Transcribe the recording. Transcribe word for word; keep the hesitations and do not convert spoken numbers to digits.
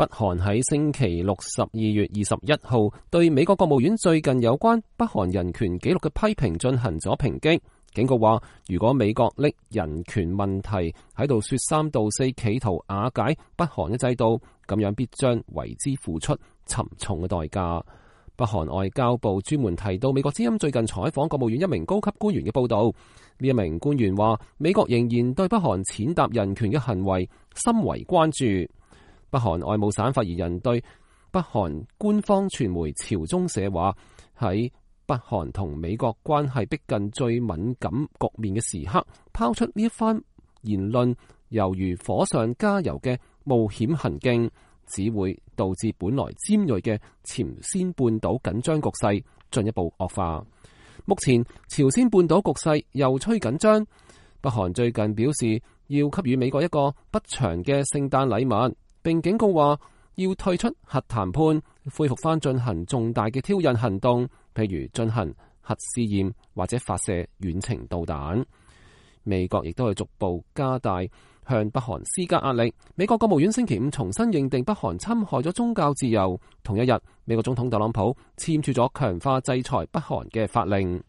北韓喺星期六十二月二十一號對美國國務院最近有關北韓人權紀錄嘅批評進行咗抨擊，警告話如果美國拎人權問題喺度說三道四，企圖瓦解北韓嘅制度，咁樣必將為之付出沉重嘅代價。北韓外交部專門提到美國之音最近採訪國務院一名高級官員嘅報道，呢一名官員話美國仍然對北韓踐踏人權嘅行為深為關注。北韓外務省發言人對北韓官方傳媒朝中社話，喺北韓同美國關係逼近最敏感局面嘅時刻，拋出呢一番言論，猶如火上加油嘅冒險行徑，只會導致本來尖銳嘅朝鮮半島緊張局勢進一步惡化。目前朝鮮半島局勢又趨緊張，北韓最近表示要給予美國一個不祥嘅聖誕禮物，並警告話要退出核談判，恢復翻進行重大嘅挑釁行動，譬如進行核試驗或者發射遠程導彈。美國亦都係逐步加大向北韓施加壓力。美國國務院星期五重新認定北韓侵害咗宗教自由。同一日，美國總統特朗普簽署咗強化制裁北韓嘅法令。